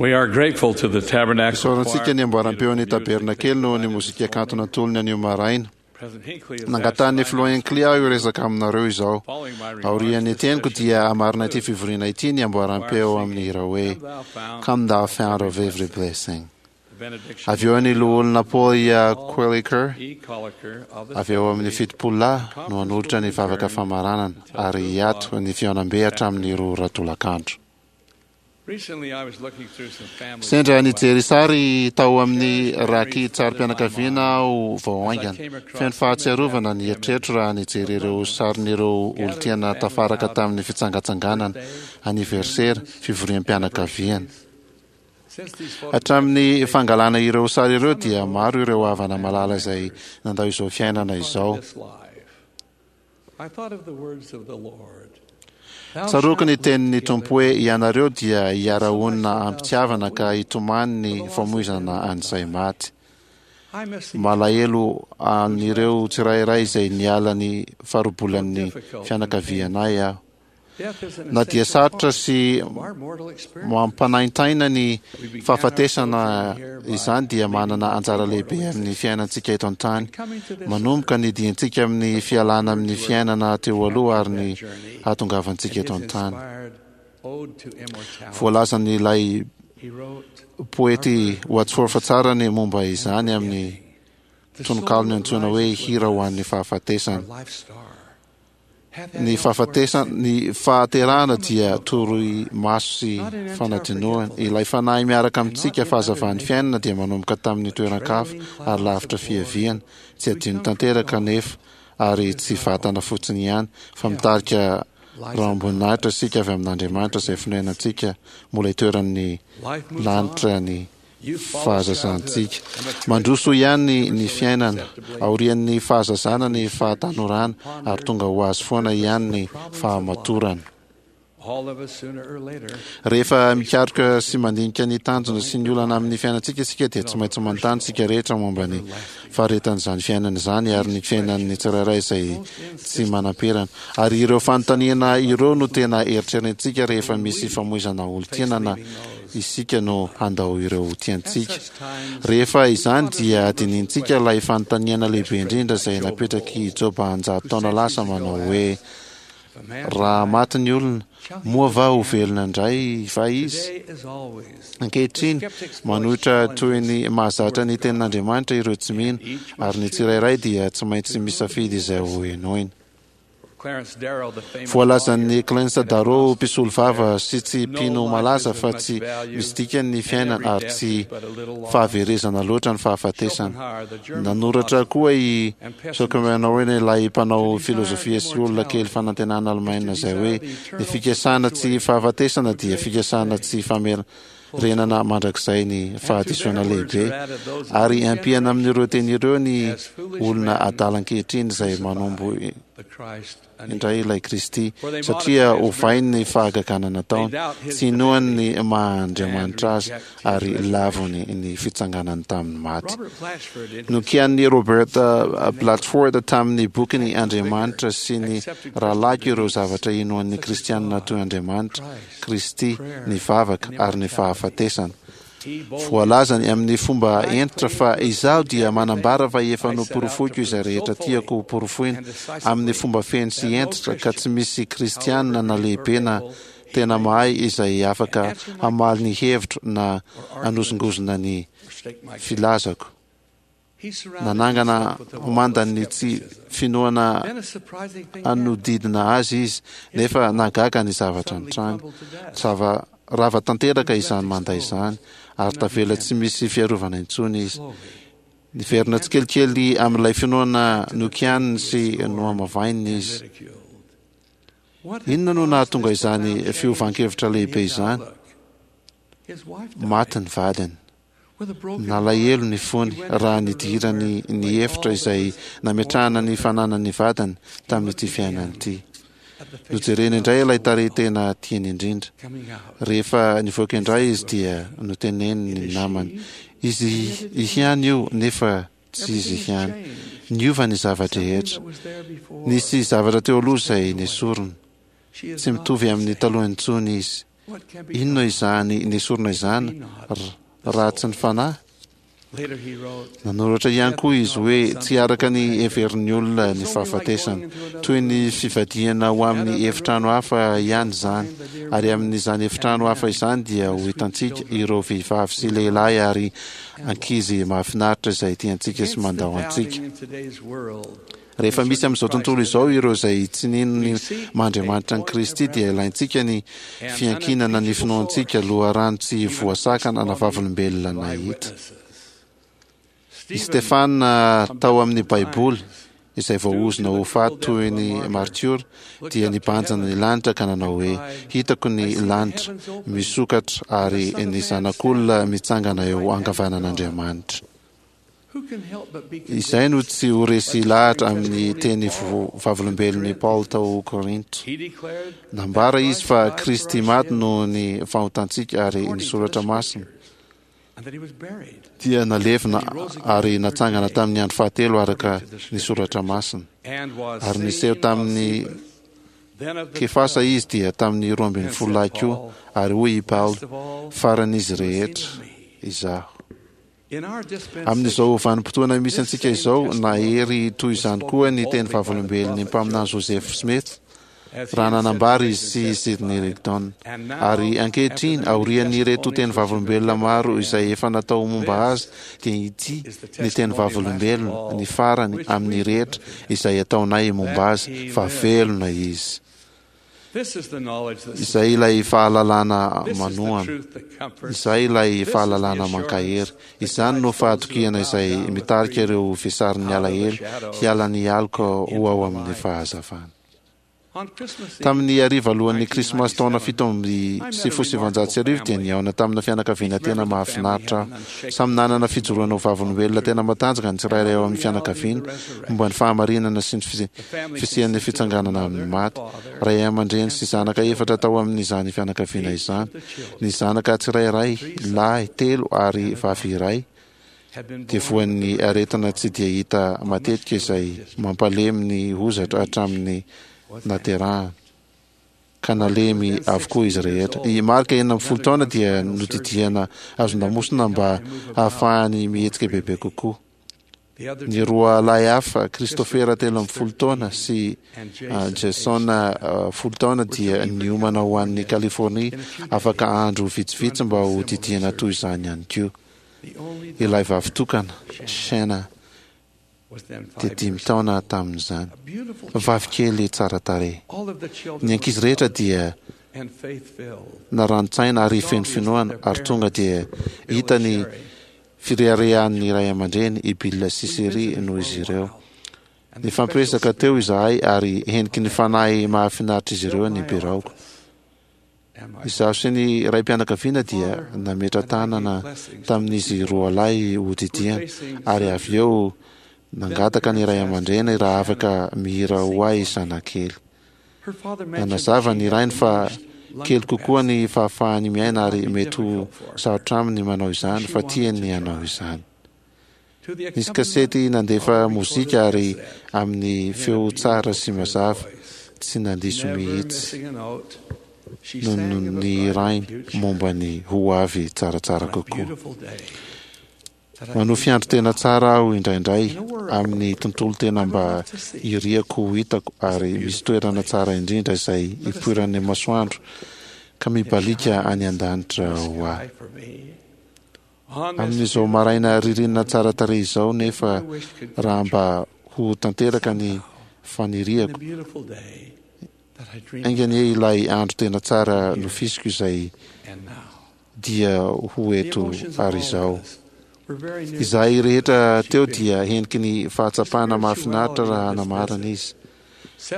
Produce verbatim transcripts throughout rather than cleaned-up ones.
We are grateful to the Tabernacle Isaorantsika Choir ny amboaram-peon'ny tabernakely noho ny mozika kanto natolony anio maraina. President Hinckley has Nangatahan'ny asked filoha Hinckley aho hiresaka aminareo izao. Following my remarks, Aorian'ny this teniko session dia hamarina ity fivoriana ity ny amboaram-peo amin'ny hira hoe Come thou fount Come thou fount of every blessing. the benediction Avy eo ny loholona Paul Queliker E. Colliker of the avy eo amin'ny fitopolo lahy no hanolotra ny vavaka famaranana ary hiato ny fihaonambe hatramin'ny roa ora tolakandro. Recently I was looking through some family Sendra nijery sary tao amin'ny raki-tsarim-pianakaviana aho vao haingana. Feno fahatsiarovana ny eritreritro raha nijery ireo sarin'ireo olon-tiana tafaraka tamin'ny fitsangatsanganana, aniversera, fivoriam-pianakaviana. Since these photographs Hatramin'ny fangalana ireo sary ireo dia maro ireo havana malala izay nandao izao fiainana izao. this life, I thought of the words of the Lord. Thou Tsaroako ny shalt live tenin'ny together Tompo hoe ianareo dia hiara-honina am-pitiavana ka hitomany ny famoizana an'izay maty. I miss the Malahelo an'ireo tsirairay izay niala ny farobolan'ny fianakavianay aho. death is an Na dia essential sarotra part sy of our mortal experience. mampanaintaina ny fahafatesana izany dia manana anjara lehibe amin'ny fiainantsika eto an-tany. Manomboka ny diantsika amin'ny fialana amin'ny fiainana teo aloha ary ny hahatongavantsika And eto his an-tany. inspired ode to immortality. Voalazan'ilay He wrote, poety Wadsworth tsara ny momba izany amin'ny "The soul tononkalony that antsoina hoe rises with hira ho us, an'ny fahafatesana. our life star, hath had Ny elsewhere fahafatesana, ny fahaterahana dia toroy maso sy fanadinoana. Ilay fanahy miaraka amintsika fahazavan'ny fiainana dia manomboka tamin'ny toeran-kafa ary lavitra fiaviana. Tsy adino tanteraka nefa ary tsy vatana fotsiny ihany fa mitarika rahom-boninahitra isika avy amin'Andriamanitra izay fonenantsika mbola itoeran'ny Life moves lanitra on. ny Youth follows fahazazantsika. childhood, and maturity Mandroso ihany ny ever so fiainana imperceptibly. aorian'ny fahazazana ny fahatanorana ary tonga ho azy foana ihany ny fahamatorana. All of us sooner or later Rehefa mikaroka sy mandinika ny tanjona sy ny olana amin'ny fiainantsika isika dia tsy maintsy manontany isika rehetra momba ny faharetan'izany fiainana izany ary ny fiainan'ny tsirairay izay tsy manam-perana. Ary ireo fanontaniana ireo no tena eritreretintsika rehefa misy famoizana olon-tiana na isika no handao ireo tiantsika. At such times, Rehefa izany dia adininintsika ilay fanontaniana lehibe indrindra izay napetrak'i Joba anjato taona lasa manao hoe if a man raha maty ny olona, moa va ho velona indray va izy? today is always Ankehitriny, manohitra toy ny mahazatra ny tenin'Andriamanitra ireo tsy mino ary ny tsirairay dia tsy maintsy misafidy izay ho henoina. Clarence Darrow, the famous Voalazan'ny lawyer Clarence and Darrow apostle, mpisolo vava sy tsy No mpino life malaza is of fa much tsy value, misy dikany ny and fiainana every ary death tsy is but a little loss. fahaverezana loatra ny fahafatesana. Schopenhauer, the German Nanoratra philosopher koa i and pessimist, Schopenhauer ilay mpanao to desire filozofia sy olona kely immortality fanantenana is to alemaina izay desire hoe the ny eternal fikasana tsy perpetuation fahafatesana of dia great fikasana today. tsy famerenana mandrakizay ny And to fahadisoana their words lehibe are added those of ary new ampiana amin'ireo generations teny ireo ny as foolish olona men adala ankehitriny izay manombo crucify the Christ indray unequal. ilay Kristy For they satria modify his ovainy ny miracles, fahagagana they nataony, doubt his tsy inoany divinity, ny and maha-Andriamanitra azy reject his ary lavony resurrection. ny fitsanganany tamin'ny maty. Robert Blatchford, in his Nokian'ny Robert The Neighbor, Blatchford tamin'ny bokiny the vicar, Andriamanitra sy ny accepted Christian rahalahiko ireo beliefs zavatra inoan'ny such as kristianina God, toy Andriamanitra, Christ, Kristy, prayer, ny vavaka and ary ny immortality. fahafatesana. He boldly Voalazany said, amin'ny fomba I hentitra claim fa proof izaho of dia everything manambara fa efa I set out to noporofoiko izay prove so rehetra fully tiako hoporofoina and amin'ny decisively fomba feno sy that no hentitra ka tsy Christian, misy kristianina however na great or lehibe na able he tena may mahay be, izay can afaka answer my hamaly ny question hevitro na or argue with hanozongozona ny or stake my case. filazako. He surrounded Nanangana himself with the wall of mandan'ny tsy skepticism. finoana Then a surprising thing happened. hanodidina azy izy His nefa wall nahagaga ny zavatra suddenly nitranga. crumbled to dust. Zava rava tanteraka He was left izany manda izany exposed ary and tavela tsy unmanned. misy fiarovana intsony izy. Slowly, Niverina he entered tsikelikely amin'ilay finoana back to the faith nokianiny he had sy scorned nohamavaininy and izy. ridiculed. What had Inona no caused nahatonga this izany profound change fiovan-kevitra in lehibe his izany? outlook? His wife died. Maty ny vadiny. With a broken heart, Nalahelo ny fony he went raha into the room nidirany where ny lay efitra all that izay was nametrahana mortal ny of him. fananany vadiny He tamin'ity looked fiainana again ity. at the face of Nojereny God indray ilay so tarehy loved, tena tiany indrindra. coming out. Rehefa nivoaka He indray said izy to a dia friend, noteneniny It ny is namany. she, Izy and yet it isn't ihany io she. nefa tsy izy Everything has ihany. changed. Niova ny Something zava-drehetra. that was there before Nisy zavatra teo aloha is izay taken away. nesorina. She is Tsy not mitovy the amin'ny same. taloha intsony izy. Inona izany nesorina izany raha tsy ny fanahy? Nanoratra ihany koa izy hoe tsy araka ny heverin'ny olona ny fahafatesana. Toy ny fivadihana ho amin'ny efitrano hafa ihany izany, ary amin'izany efitrano hafa izany dia ho hitantsika ireo vehivavy sy lehilahy ary ankizy mahafinaritra izay tiantsika sy mandao antsika. Rehefa misy amin'izao tontolo izao ireo izay tsy nino ny maha-Andriamanitra an'i Kristy, dia ilaintsika ny fiankinana ny finoantsika, loharano tsy voasakana na vavolombelona nahita. I Stefana tao amin'ny Baiboly, izay voaozona ho faty toy ny martiora, dia nibanjina ny lanitra ka nanao hoe: "Hitako ny lanitra misokatra ary ny Zanak'olona mitsangana eo ankavanan'Andriamanitra." Izay no tsy ho resy lahatra amin'ny teny vavolombelon'i Paoly tao Korinto. Nambara izy fa Kristy maty noho ny fahotantsika, ary ny Soratra Masina dia nalevina ary natsangana tamin'ny andro fahatelo araka ny Soratra Masina. Ary niseho tamin'ny Kefasa izy, dia tamin'ny roa ambin'ny folo lahy koa, ary hoy i Paoly: "Faran'izy rehetra izaho." Amin'izao vanim-potoana misy antsika izao, nahery toy izany koa ny teny vavolombelon'ny mpaminany Joseph Smith raha nanambara izy sy Sidney Rigdon: "Ary ankehitriny, aorian'ireto teny vavolombelona maro izay efa natao momba azy, dia ity ny teny vavolombelona, ny farany amin'ny rehetra izay ataonay momba azy, fa velona izy." Izay ilay fahalalana manohana, izay ilay fahalalana mankahery. Izany no fahatokiana izay mitarika ireo vesarin'ny alahelo hiala ny aloka ho ao amin'ny fahazavana. Tamin'ny hariva alohan'ny Krismasy taona fito amby sivifolo sy sivinjato sy arivo dia nihaona tamina fianakaviana tena mahafinaritra aho. Samy nanana fijoroana ho vavolombelona tena matanjaka ny tsirairay ao amin'ny fianakaviana momba ny fahamarinana sy ny fisian'ny fitsanganana amin'ny maty. Ray aman-dreny sy zanaka efatra tao amin'izany fianakaviana izany. Ny zanaka tsirairay, lahy telo ary vavy iray, dia voan'ny aretina tsy dia hita matetika izay mampalemy ny hozatra hatramin'ny naterahana, ka nalemy avokoa izy rehetra. I Mark, enina ambin'ny folo taona, dia nodidiana hazon-damosina mba hahafahany mihetsika bebe kokoa. Ny roa lahy hafa, Christopher telo ambin'ny folo taona sy Jason folo taona, dia niomana ho an'ny Californie afaka andro vitsivitsy mba ho didiana toy izany ihany koa. Ilay vavy tokana, Shana, dia dimy taona tamin'izany. Vavy kely tsara tarehy. Ny ankizy rehetra dia narani-tsaina ary feno finoana, ary tonga dia hita ny fireharehan'ny ray aman-dreny, i Bill sy Sherry, noho izy ireo. Nifampiresaka teo izahay ary heniky ny fanahy mahafinaritra izy ireo ny biraoko. Izaho sy ny raim-pianakaviana dia nametra-tanana tamin'izy roa lahy hodidiana, ary avy eo nangataka ny ray aman-dreny raha afaka mihira ho ahy zanakely. Nanazava ny rainy fa kely kokoa ny fahafahany miaina ary mety ho sarotra aminy manao izany, fa tiany hanao izany. Nisy kasety nandefa mozika ary amin'ny feo tsara sy mazava, tsy nandiso mihitsy no ny rainy momba ny ho avy tsaratsara kokoa. Manofy andro tena tsara aho indraindray amin'ny tontolo tena mba iriako ho hitako, ary misy toerana tsara indrindra izay ipoiran'ny masoandro ka mibalika any an-danitra ho ahy. Amin'izao maraina ririnina tsara tarehy izao, nefa raha mba ho tanteraka ny faniriako, enga anie ilay andro tena tsara nofisiko izay dia ho eto ary izao. Izahay rehetra teo dia heniky ny fahatsapana mahafinaritra raha namarana izy.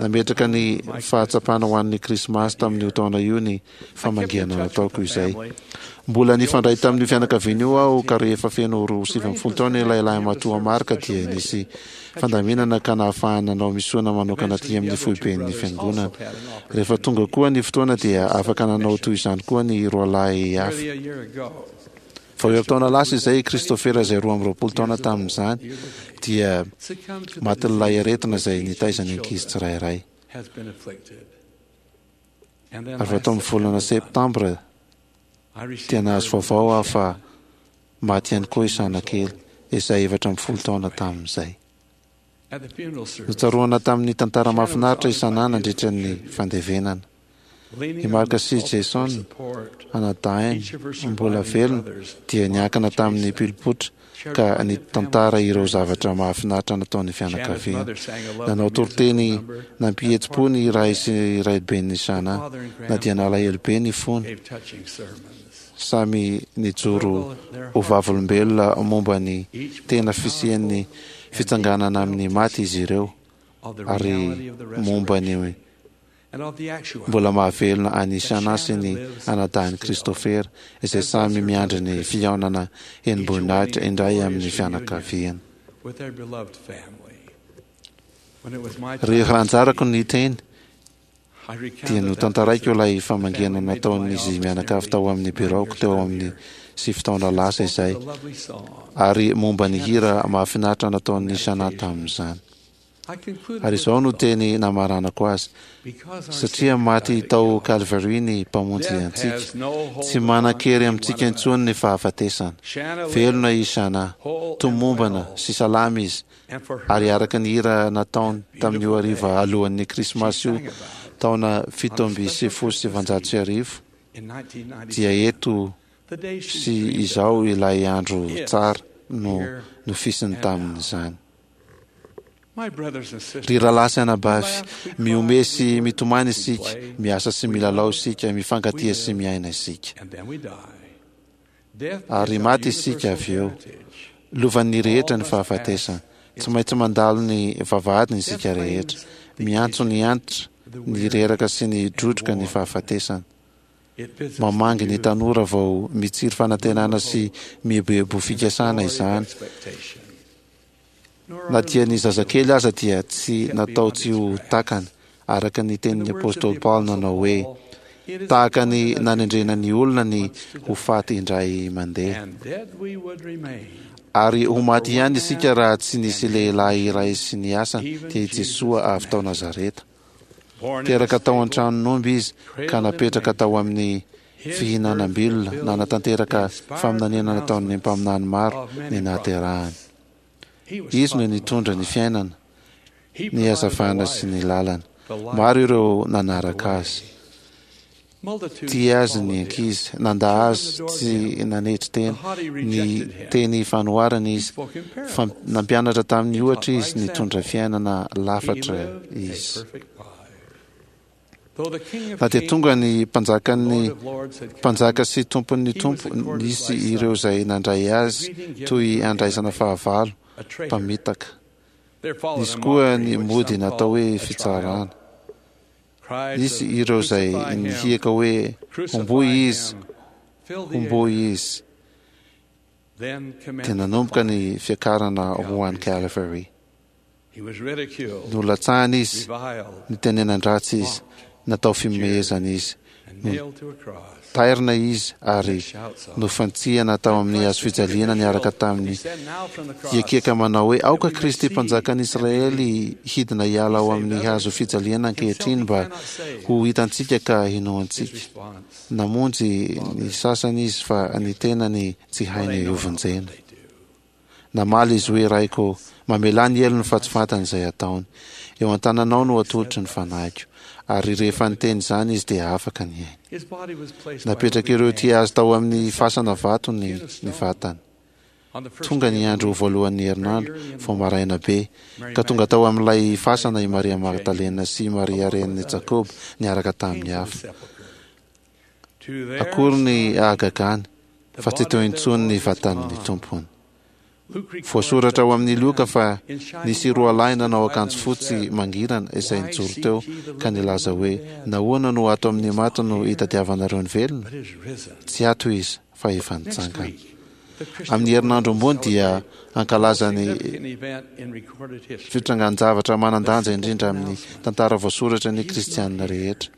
Nametraka ny fahatsapana ho an'ny Krismasy tamin'io taona io ny famangiana nataoko izay. Mbola nifandray tamin'io fianakaviana io aho, ka rehefa feno roa sivy ambin'ny folo taona ilay lahimatoa Mark dia nisy fandaminana ka nahafahana nanao misiona manokana aty amin'ny foiben'ny fiangonana. Rehefa tonga koa ny fotoana dia afaka nanao toy izany koa ny roalahy hafa. Vao herintaona lasa izay, Christopher izay roa amby roapolo taona tamin'izany dia matin'ilay aretina izay nitaiza ny ankizy tsirairay. Ary vao tamin'ny volana septambra dia nahazo vaovao aho fa maty ihany koa i Shana kely, izay efatra ambin'ny folo taona tamin'izay. Notsaroana tamin'ny tantara mahafinaritra i Shana nandritra ny fandevenana. I Mark sy Jason, anadahiny mbola velona, dia niankina tamin'ny pilpotra ka nitantara ireo zavatra mahafinaritra nataon'ny fianakaviana. Nanao toriteny nampihetsi-po ny ray sy raiben'i Shana, na dia nalahelo be ny fony. Samy nijoro ho vavolombelona momba ny tena fisian'ny fitsanganana amin'ny maty izy ireo, ary momba ny mbola mahavelona an'i Shana sy ny anadahin'i Christopher, izay samy miandry ny fihaonana henim-boninahitra indray amin'ny fianakaviana. Rehefa anjarako ny teny, dia notantaraiko ilay famangiana nataon'izy mianakavy tao amin'ny biraoko teo amin'ny sivy taona lasa izay, ary momba ny hira mahafinaritra nataon'i Shana tamin'izany. Ary izao no teny namaranako azy: satria maty tao Calvary ny Mpamonjy antsika, tsy manan-kery amintsika intsony ny fahafatesana. Velona i Shana, tomombana sy salama izy, ary araka ny hira nataony tamin'io hariva alohan'ny Krismasy io taona fito amby sivifolo sy sivanjato sy arivo, dia eto sy izao ilay andro tsara no nofisiny tamin'izany. Ry rahalahy sy anabavy, mihomehy sy mitomany isika, miasa sy milalao isika, mifankatia sy miaina isika. Ary maty isika avy eo. Lovan'ny rehetra ny fahafatesana. Tsy maintsy mandalo ny vavahadiny isika rehetra. Miantso ny antitra, ny reraka sy ny drodroka ny fahafatesana. Mamangy ny tanora vao mitsiry fanantenana sy mieboebo fikasana izany. Na dia ny zazakely aza dia tsy natao tsy ho takany, araka ny tenin'ny Apôstôly Paoly nanao hoe: tahaka ny nanendrena ny olona ny ho faty indray mandeha. Ary ho maty ihany isika raha tsy nisy lehilahy iray sy ny asany, dia i Jesoa avy tao Nazareta. Teraka tao an-tranon'omby izy ka napetraka tao amin'ny fihinanam-bilona, nanatanteraka faminaniana nataon'ny mpaminany maro ny nahaterahany. Izy no nitondra ny fiainana, ny hazavana sy ny lalana. Maro ireo nanaraka azy. Tia azy ny ankizy, nanda azy tsy nanetry tena, ny teny fanoharana izy, fa nampianatra tamin'ny ohatra izy, nitondra fiainana lafatra izy. Na dia tonga ny mpanjakan'ny mpanjaka sy tompon'ny tompo, nisy ireo izay nandray azy toy andraisana fahavalo, mpamitaka. Nisy koa ny mody natao hoe fitsarana. Nisy ireo izay nihiaka hoe homboy izy, homboy izy. Dia nanomboka ny fiakarana ho any Calvary. Nolatsahana izy, nitenenan-dratsy izy, natao fihomehezana izy, notairina izy ary nofantsihana tao amin'ny hazo fijaliana niaraka tamin'ny hiakiaka manao hoe: aoka Kristy mpanjakan'i Israely hidina hiala ao amin'ny hazo fijaliana ankehitriny mba ho hitantsika ka hinoantsika. Namonjy ny sasany izy fa ny tenany tsy hainy hovonjena. Namaly izy hoe: Raiko, mamelà ny helony fa tsy fantany izay ataony. Eo an-tananao no atolotry ny fanahiko. Ary rehefa niteny izany izy dia afaka ny ainy. Napetraka ireo tia azy tao amin'ny fasana vato ny ny vatany. Tonga ny andro voalohan'ny herinandro, vao maraina be, ka tonga tao amin'ilay fasana i Maria Magdalena sy Maria renin'i Jakoba niaraka tamin'ny hafa. Akory ny hahagagany fa tsy teo intsony ny vatan'ny tompony. Voasoratra ao amin'ny Lioka fa nisy roa lahy nanao akanjo fotsy mangirana izay nijoro teo ka nilaza hoe: nahoana no ato amin'ny maty no hitadiavanareo ny velona? Tsy ato izy fa efa nitsangana. Amin'ny herinandro ambony dia hankalaza ny fitrangan-javatra manan-danja indrindra amin'ny tantara voasoratra ny kristianina rehetra.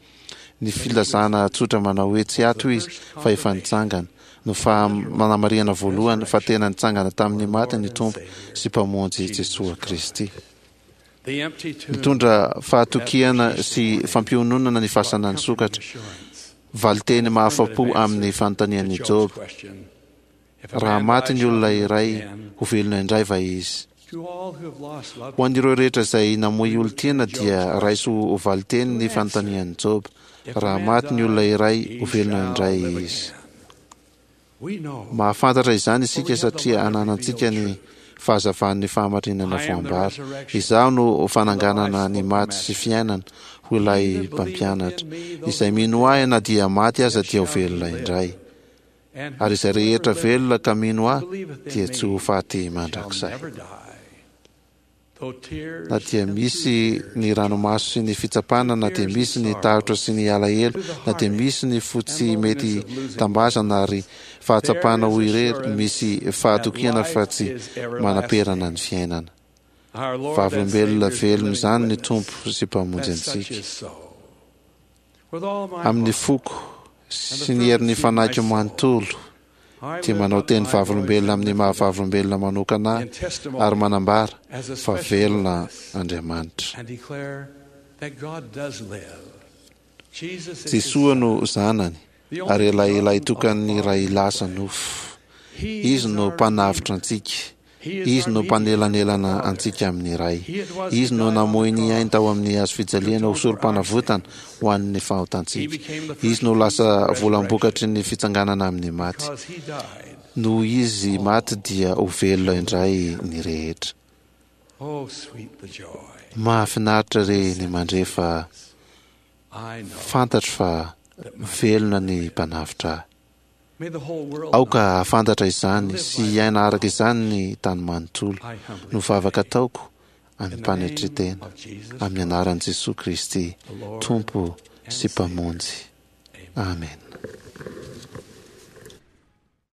Ny filazana tsotra manao hoe tsy ato izy fa efa nitsangana no fanamarihana voalohany fa tena nitsangana tamin'ny maty ny Tompo sy Mpamonjy Jesoa Kristy. Nitondra fahatokiana sy fampiononana ny fasana nisokatra. Valiteny mahafa-po amin'ny fanontanian'i Joba: raha maty ny olona iray, ho velona indray va izy? Ho an'ireo rehetra izay namoy olon-tiana dia raiso ho valiteny ny fanontanian'i Joba: raha maty ny olona iray, ho velona indray izy. Mahafantatra izany isika satria ananantsika ny fahazavan'ny fahamarinana voambara. Izaho no fananganana ny maty sy fiainana, hoy ilay mpampianatra. Izay mino ahy na dia maty aza dia ho velona indray. Ary izay rehetra velona ka mino ahy dia tsy ho faty mandrakizay. Na dia misy ny ranomaso sy ny fitsapana, na dia misy ny tahotra sy ny alahelo, na dia misy ny fo tsy mety tambazana ary fahatsapana ho irery, misy fahatokiana fa tsy manaperana ny fiainana. Vavolombelona velona izany ny Tompo sy Mpamonjy antsika. Amin'ny foko sy ny herin'ny fanahiko manontolo dia manao teny vavolombelona amin'ny maha-vavolombelona manokana ahy ary manambara fa velona Andriamanitra. Jesoa no Zanany ary ilay lahitokan'ny Ray lasa nofo. Izy no Mpanavotra antsika. Izy no mpanelanelana antsika amin'ny Ray. Izy no namoy ny ainy tao amin'ny hazo fijaliana ho sorom-panavotana ho an'ny fahotantsika. Izy no lasa volam-bokatry ny fitsanganana amin'ny maty. Noho izy maty dia ho velona indray ny rehetra. Mahafinaritra re ny mandre fa fantatro fa velona ny Mpanavotra ahy. Aoka hahafantatra izany sy hiaina araka izany ny tany manontolo. No vavaka ataoko amim-panetren-tena, amin'ny anaran'i Jesoa Kristy, Tompo sy Mpamonjy. Amena.